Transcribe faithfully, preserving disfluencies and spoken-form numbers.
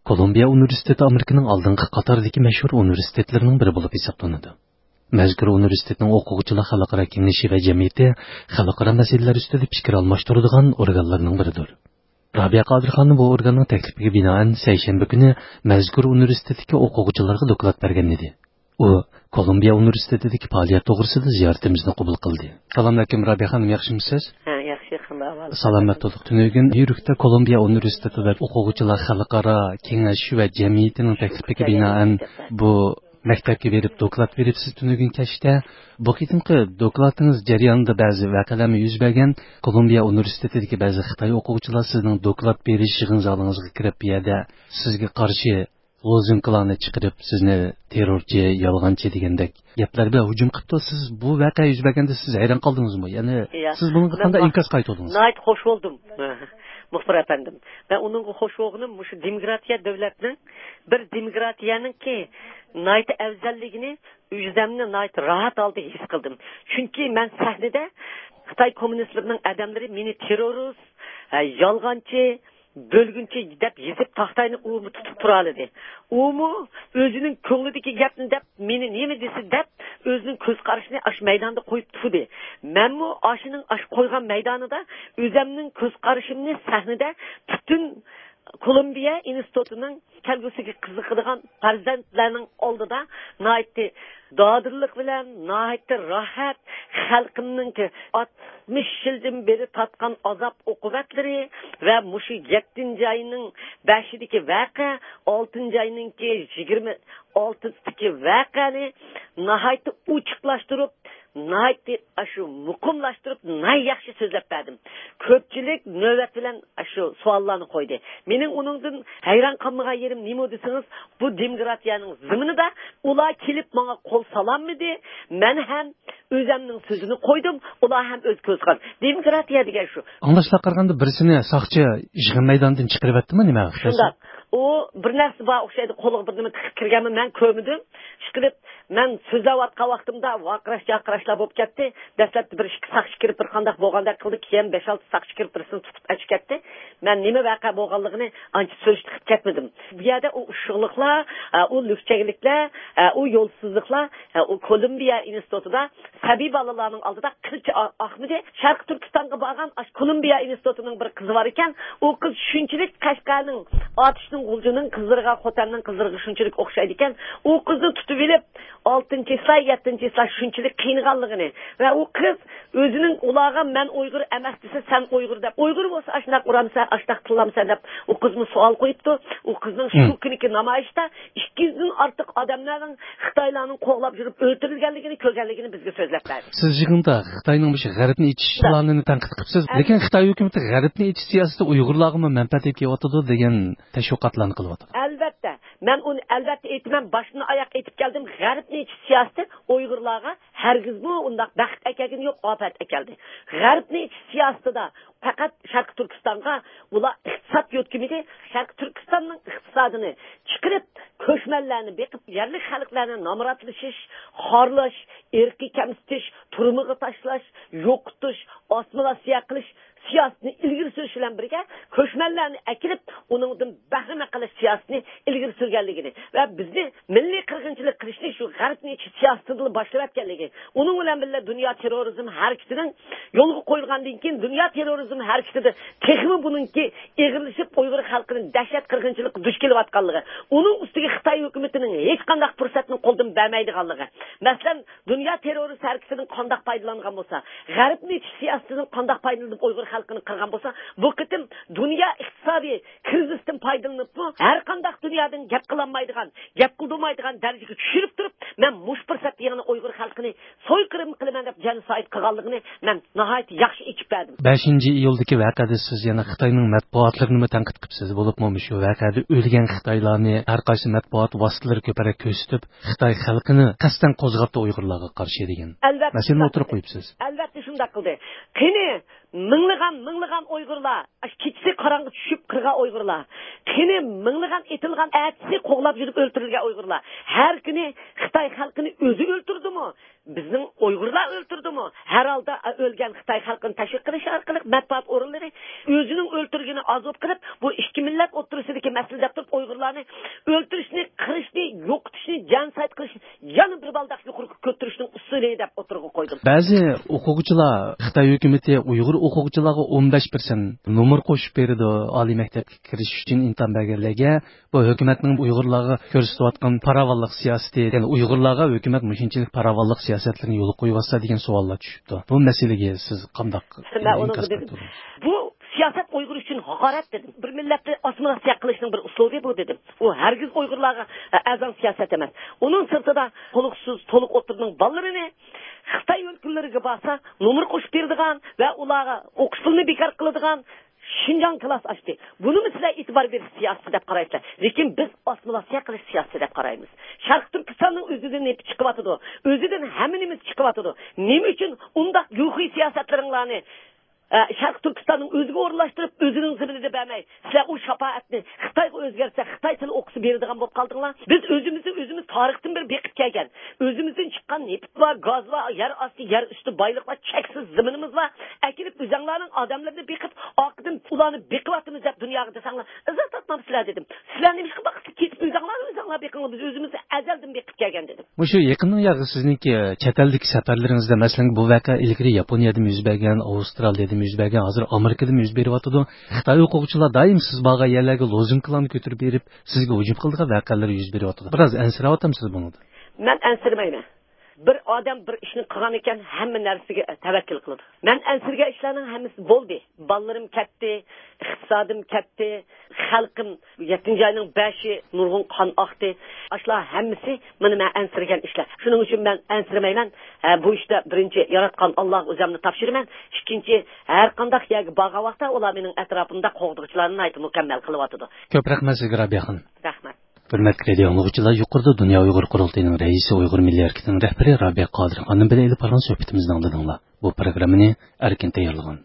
كولومبىيە ئۇنىۋېرسىتېتى ئامېرىكىنىڭ ئالدىنقى قاتاردىكى مەشھۇر ئۇنىۋېرسىتېتلىرىنىڭ بىرى بولۇپ ھېسابلىنىدۇ. مەزكۇر ئۇنىۋېرسىتېتنىڭ ئوقۇغۇچىلار خەلقئارا كېڭىشى ۋە جەمئىيىتى خەلقئارا مەسىلىلەر ئۈستىدە پىكىر ئالماشتۇرىدىغان ئورگانلارنىڭ بىرىدۇر. رابىيە قادىر خانىم بۇ ئورگاننىڭ تەكلىپىگە بىنائەن، سەيشەنبە كۈنى مەزكۇر ئۇنىۋېرسىتېتتىكى ئوقۇغۇچىلارغا دوكلات بەرگەن ئىدى. ئۇ كولومبىيە ئۇنىۋېرسىتېتىدىكى پائالىيەت توغرىسىدا زىيارىتىمىزنى قوبۇل قىلدى. سالامئەلەيكۇم، رابىيە خانىم، ياخشىمۇسىز؟ ھە، ياخشى، قانداق ئەھۋال؟ سالامەت بولدۇق. تۈنۈگۈن نيۇ يوركتا كولومبىيە ئۇنىۋېرسىتېتىدا ئوقۇغۇچىلار خەلقئارا كېڭەش ۋە جەمئىيىتىنىڭ تەكلىپىگە بىنائەن بۇ مەكتەپكە بېرىپ دوكلات بېرىپسىز تۈنۈگۈن كەچتە. بۇ قېتىمقى دوكلاتىڭىز جەريانىدا بەزى ۋەقەلەرمۇ يۈز بەرگەن. كولومبىيە ئۇنىۋېرسىتېتىدىكى بەزى خىتاي ئوقۇغۇچىلار سىزنىڭ دوكلات بېرىش يىغىن زالىڭىزغا كىرىپ، بۇ يەردە سىزگە قارشى لوزۇنكىلارنى چىقىرىپ، سىزنى تېررورچى، يالغانچى دېگەندەك گەپلەر بىلەن ھۇجۇم قىپتۇ. سىز بۇ ۋەقە يۈز بەرگەندە سىز ھەيران قالدىڭىزمۇ؟ يەنى يا، سىز بۇنىڭغا مەن قانداق نا-، ئىنكاس قايتۇردىڭىز؟ ناھايىتى خوش بولدۇم، مۇخبىر ئەپەندىم. مەن ئۇنىڭغا خوش بولغىنىم مۇشۇ دېموكراتىيە دۆلەتنىڭ، بىر دېموكراتىيەنىڭكى ناھايىتى ئەۋزەللىكىنى ئۆزۈمنى ناھايىتى راھەت ھالدا ھېس قىلدىم. چۈنكى مەن سەھنىدە خىتاي كوممۇنىستلىرىنىڭ ئادەملىرى مېنى تېررورىست، ھە، يالغانچى، بۆلگۈنچى دەپ يېزىپ، تاختاينى ئۇمۇ تۇتۇپ تۇرالىدى. ئۇمۇ ئۆزىنىڭ كۆڭلىدىكى گەپنى دەپ، مېنى نېمە دېسە دەپ، ئۆزىنىڭ كۆز قارىشىنى ئاشۇ مەيداندا قويۇپ تۇردى. مەنمۇ ئاشۇنىڭ ئاشۇ قويغان مەيدانىدا ئۆزەمنىڭ كۆز قارىشىمنى سەھنىدە پۈتۈن كولومبىيە ئىنستىتۇتىنىڭ كەلگۈسىگە قىزىقىدىغان پەرزەنتلەرنىڭ ئالدىدا ناھايىتى دادىللىق بىلەن، ناھايىتى راھەت، خەلقىمنىڭكى ئاتمىش يىلدىن بېرى تارتقان ئازاب ئوقۇبەتلىرى ۋە مۇشۇ يەتتىنچى ئاينىڭ بەشىدىكى ۋەقە، ئالتىنچى ئاينىڭكى يىگىرمە ئالتىسىدىكى ۋەقەنى ناھايىتى ئوچۇقلاشتۇرۇپ، ناھايىتى ئاشۇ مۇقىملاشتۇرۇپ، ناھايىتى ياخشى سۆزلەپ بەردىم. كۆپچىلىك نۆۋەت بىلەن ئاشۇ سوئاللارنى قويدى. مېنىڭ ئۇنىڭدىن ھەيران قالمىغان يېرىم نېمە دېسىڭىز، بۇ دېموكراتىيەنىڭ زېمىنىدا ئۇلار كېلىپ ماڭا قول سالالمىدى. مەن ھەم ئۆزەمنىڭ سۆزىنى قويدۇم، ئۇلار ھەم ئۆز كۆزى قارىسى. دېموكراتىيە دېگەن شۇ. ئاڭلاشلارغا قارىغاندا، بىرسىنى ساقچى يىغىن مەيدانىدىن چىقىرىۋەتتىمۇ نېمە؟ شۇنداق. ئۇ بىر نەرسە بار ئوخشايدۇ، قولىغا بىر نېمە تىقىپ كىرگەنمۇ، مەن كۆرمىدىم. ئىشقىلىپ، مەن سۆزلەۋاتقان ۋاقتىمدا ۋارقىراش-جارقىراشلار بولۇپ كەتتى. دەسلەپتە بىر ئىككى ساقچى كىرىپ بىر قانداق بولغاندەك قىلدى، كېيىن بەش-ئالتە ساقچى كىرىپ بىرسىنى تۇتۇپ ئەچىپ كەتتى. مەن نېمە ۋەقە بولغانلىقىنى ئانچە سۈرۈشتە قىلىپ كەتمىدىم. بۇ يەردە ئۇ ئۇششۇقلۇقلار، ئە، ئۇ لۈكچەكلىكلەر، ئە، ئۇ يولسىزلىقلار، ئە، ئۇ كولومبىيە ئىنستىتۇتىدا سەبىي بالىلارنىڭ ئالدىدا قىلچە ئا-، ئاقمىدى. شەرقىي تۈركىستانغا بارغان ئاشۇ كولومبىيە ئىنستىتۇتىنىڭ بىر قىزى بار ئىكەن. ئۇ قىز شۇنچىلىك قەشقەرنىڭ ئاتۇشنىڭ غۇلجىنىڭ قىزلىرىغا، خوتەننىڭ قىزلىرىغا شۇنچىلىك ئوخشايدىكەن. ئۇ قىزنى تۇتۇۋېلىپ، ئالتىنچى چىسلا، يەتتىنچى چىسلا شۇنچىلىك قىينىغانلىقىنى ۋە ئۇ قىز ئۆزىنىڭ ئۇلارغا «مەن ئۇيغۇر ئەمەس» دېسە، «سەن ئۇيغۇر» دەپ، «ئۇيغۇر بولسا ئاشۇنداق ئۇرامسەن، ئاشۇنداق تىللامسەن» دەپ، ئۇ قىزمۇ سوئال قويۇپتۇ. ئۇ قىزنىڭ شۇ كۈنىكى نامايىشتا ئىككى يۈزدىن ئارتۇق ئادەملەرنىڭ خىتايلارنىڭ قوغلاپ يۈرۈپ ئۆلتۈرۈلگەنلىكىنى كۆرگەنلىكىنى بىزگە سۆزلەپ بەردى. سىز يىغىندا خىتاينىڭ مۇشۇ غەربنى ئېچىش پىلانىنى تەنقىد قىپسىز. لېكىن خىتاي ھۆكۈمىتى غەربنى ئېچىش سىياسىتى ئۇيغۇرلارغىمۇ مەنپەئەت ئېلىپ كېلىۋاتىدۇ دېگەن تەشۋىقاتلارنى قىلىۋاتىدۇ. ئەلۋەتتە، مەن ئۇنى ئەلۋەتتە ئېيتىمەن، باشتىن ئاياق ئېيتىپ كەلدىم. غەربنى ئېچىش سىياسىتى ئۇيغۇرلارغا ھەرگىزمۇ ئۇنداق بەخت ئەكەلگىنى يوق، ئاپەت ئەكەلدى. غەربنى ئېچىش سىياسىتىدا پەقەت شەرقىي تۈركىستانغا ئۇلار ئىقتىساد يۆتكىمىدى. شەرقىي تۈركىستاننىڭ ئىقتىسادىنى چىقىرىپ، كۆچمەنلەرنى بېقىپ، يەرلىك خەلقلەرنى نامراتلىشىش، خارلاش، ئىرقىي كەمسىتىش، تۈرمىگە تاشلاش، يوقىتىش، ئاسسىمىلياتسىيە قىلىش سىياسىتىنى ئىلگىرى سۈرۈش بىلەن بىرگە، كۆچمەنلەرنى ئەكىرىپ، ئۇنىڭدىن بەھرىمەن قىلىش سىياسىتىنى ئىلگىرى سۈرگەنلىكىنى ۋە بىزنى مىللىي قىرغىنچىلىق قىلىشنى شۇ غەربنى ئېچىش سىياسىتىدىلا باشلىۋەتكەنلىكى، ئۇنىڭ بىلەن بىللە دۇنيا تېررورىزم ھەرىكىتىنىڭ يولغا قويۇلغاندىن كېيىن، دۇنيا تېررورىزم ھەرىكىتىدە تېخىمۇ بۇنىڭكى ئېغىرلىشىپ، ئۇيغۇر خەلقىنى دەھشەت قىرغىنچىلىققا دۇچ كېلىۋاتقانلىقى، ئۇنىڭ ئۈستىگە خىتاي ھۆكۈمىتىنىڭ ھېچقانداق پۇرسەتنى قولدىن بەرمەيدىغانلىقى. مەسىلەن، دۇنيا تېررورىست ھەرىكىتىدىن قانداق پايدىلانغان بولسا، غەربنى ئېچىش سىياسىتىدىن قانداق پايدىلىنىپ ئۇيغۇر خەلقىنى قىرغان بولسا، بۇ قېتىم دۇنيا ئىقتىسادىي كىرىزىستىن پايدىلىنىپمۇ ھەر قانداق دۇنيادىن گەپ قىلالمايدىغان، گەپ قىلدۇرمايدىغان دەرىجىگە چۈشۈرۈپ تۇرۇپ، مەن مۇشۇ پۇرسەتتە يەنە ئۇيغۇر خەلقىنى سويقىرىم قىلىمەن دەپ جېنوسايد قىلغانلىقىنى مەن ناھايىتى ياخشى ئېچىپ بەردىم. بەشىنچى ئىيۇلدىكى ۋەقەدە سىز يەنە خىتاينىڭ مەتبۇئاتلىرىنىمۇ تەنقىد قىپسىز، بولۇپمۇ مۇشۇ ۋەقەدە ئۆلگەن خىتايلارنى ھەر قايسى مەتبۇئات ۋاسىتىلىرى كۆپرەك كۆرسىتىپ، خىتاي خەلقىنى قەستەن قوزغاپتۇ ئۇيغۇرلارغا قارشى دېگەن مەسىلىنى ئوتتۇرىغا قويۇپسىز. ئەلۋەتتە شۇنداق قىلدى. قېنى، مىڭلىغان، مىڭلىغان ئۇيغۇرلار، ئاشۇ كېچىسى قاراڭغۇ چۈشۈپ قىرغان ئۇيغۇرلار، قېنى، مىڭلىغان ئېتىلغان، ئەتىسى قوغلاپ يۈرۈپ ئۆلتۈرۈلگەن ئۇيغۇرلار، ھەر كۈنى خىتاي خەلقىنى ئۆزى ئۆلتۈردىمۇ؟ بىزنىڭ ئۇيغۇرلار ئۆلتۈردىمۇ؟ ھەر ھالدا ئۆلگەن خىتاي خەلقىنى تەشۋىق قىلىش ئارقىلىق مەتبۇئات ئورۇنلىرى ئۆزىنىڭ ئۆلتۈرگىنى ئازوت قىلىپ، بۇ ئىككى مىللەت ئوتتۇرىسىدىكى مەسىلە دەپ تۇرۇپ ئۇيغۇرلارنى ئۆلتۈرۈشنى، قىرىشنى، يوقىتىشنى، جېنوسايد قىلىشنى يەنە بىر بالداق يۇقىرىغا كۆتۈرۈشنىڭ ئۇسۇلى دەپ ئوتتۇرىغا قويدۇم. بەزى ئوقۇغۇچىلار خىتاي ھۆكۈمىتى ئۇيغۇر ئوقۇغۇچىلارغا ئون بەش پىرسەنت نومۇر قوشۇپ بېرىدۇ، ئالىي مەكتەپكە كىرىش ئۈچۈن ئىمتىھان بەرگەنلەرگە. بۇ ھۆكۈمەتنىڭ ئۇيغۇرلارغا كۆرسىتىۋاتقان پاراۋانلىق سىياسىتى، يەنى ئۇيغۇرلارغا ھۆكۈمەت مۇشۇنچىلىك پاراۋانلىق سىياسەتلىرىنى يولغا قويۇۋاتسا دېگەن ساۋاللار چۈشۈپتۇ. بۇ مەسىلىگە سىز قانداق مەن ئۇنىڭغا ئىنكاس دېدىم، قايتۇردىڭىز؟ بۇ سىياسەت ئۇيغۇر ئۈچۈن ھاقارەت دېدىم. بىر مىللەتنى ئاسسىمىلياتسىيە قىلىشنىڭ بىر ئۇسۇلى بۇ دېدىم. ئۇ ھەرگىز ئۇيغۇرلارغا ئە، ئەرزان سىياسەت ئەمەس. ئۇنىڭ سىرتىدا تولۇقسىز، تولۇق ئوتتۇرىنىڭ بالىلىرىنى خىتاي ئۆلكىلىرىگە بارسا، نومۇر قوشۇپ بېرىدىغان ۋە ئۇلارغا ئوقۇش پۇلىنى بىكار قىلىدىغان شىنجاڭ كىلاس ئاچتى. بۇنىمۇ سىلەر ئېتىبار بېرىش سىياسىتى دەپ قارايسىلەر. لېكىن بىز ئاسسىمىلياتسىيە قىلىش سىياسىتى دەپ قارايمىز. شەرقىي تۈركىستاننىڭ ئۆزىدىن نېفىت چىقىۋاتىدۇ. ئۆزىدىن ھەممە نېمىسى چىقىۋاتىدۇ. نېمە ئۈچۈن ئۇنداق يۇخۇي سىياسەتلىرىڭلارنى ئە، شەرقىي تۈركىستاننىڭ ئۆزىگە ئورۇنلاشتۇرۇپ، ئۆزىنىڭ زېمىنىدا بەرمەي، سىلەر ئۇ شاپائەتنى خىتايغا ئۆزگەرتسە، خىتاي تىلى ئوقۇسا بېرىدىغان بولۇپ قالدىڭلار. بىز ئۆزىمىزنى ئۆزىمىز تارىختىن بېرى بېقىپ كەلگەن. ئۆزىمىزدىن چىققان نېفىت بار، گاز بار، يەر ئاستى، يەر ئۈستى بايلىق بار، چەكسىز زېمىنىمىز بار. ئەكېلىپ ئۆزەڭلارنىڭ ئادەملىرىنى بېقىپ، ئارقىدىن ئۇلارنى بېقىۋاتىمىز دەپ دۇنياغا دەسەڭلار، ئىززەت تاپمامسىلەر دېدىم. سىلەر نېمىشقا باقىسىز؟ كېتىپ ئۆزەڭلار، ئۆزەڭلار بېقىڭلار، بىز ئۆزىمىز ئەزەلدىن بېقىپ كەلگەن دېدىم. مۇشۇ يېقىندىن ياقى سىزنىڭكى چەت ئەلدىكى سەپەرلىرىڭىزدە، مەسىلەن، بۇ ۋەقە ئىلگىرى ياپونىيەدىمۇ يۈز بەرگەن، ئاۋسترالىيەدىمۇ يۈز بەرگەن، ھازىر ئامېرىكىدىمۇ يۈز بېرىۋاتىدۇ. خىتاي ئوقۇغۇچىلار دائىم سىز بارغان يەرلەرگە لوزۇنكىلارنى كۆتۈرۈپ بېرىپ، سىزگە ھۇجۇم قىلىدىغان ۋەقەلەر يۈز بېرىۋاتىدۇ. بىراز ئەنسىرەۋاتامسىز بۇنىڭدىن؟ مەن ئەنسىرىمەيمەن. بىر ئادەم بىر ئىشنى قىلغان ئىكەن، ھەممە نەرسىگە تەۋەككۈل قىلىدۇ. مەن ئەنسىرىگەن ئىشلارنىڭ ھەممىسى بولدى. بالىلىرىم كەتتى، ئىقتىسادىم كەتتى، خەلقىم يەتتىنچى ئاينىڭ بەشى نۇرغۇن قان ئاقتى. ئاشۇلار ھەممىسى مانا مەن ئەنسىرىگەن ئىشلار. شۇنىڭ ئۈچۈن مەن ئەنسىرىمەيمەن. ھە، بۇ ئىشتا بىرىنچى ياراتقان ئاللاغا ئۆزۈمنى تاپشۇرىمەن. ئىككىنچى، ھەر قانداق يەرگە بارغان ۋاقىتتا ئۇلار مېنىڭ ئەتراپىمدا قوغدىغۇچىلارنى ناھايىتى مۇكەممەل قىلىۋاتىدۇ. كۆپ رەھمەت سىزگە، رابىيە خانىم. رەھمەت. ھۆرمەتلىك رادىيو ئاڭلىغۇچىلار، يۇقىرىدا دۇنيا ئۇيغۇر قۇرۇلتىيىنىڭ رەئىسى، ئۇيغۇر مىللىي ھەرىكىتىنىڭ رەھبىرى رابىيە قادىر خانىم بىلەن ئېلىپ بارغان سۆھبىتىمىزنى ئاڭلىدىڭلار. بۇ پروگراممىنى ئەركىن تەييارلىغان.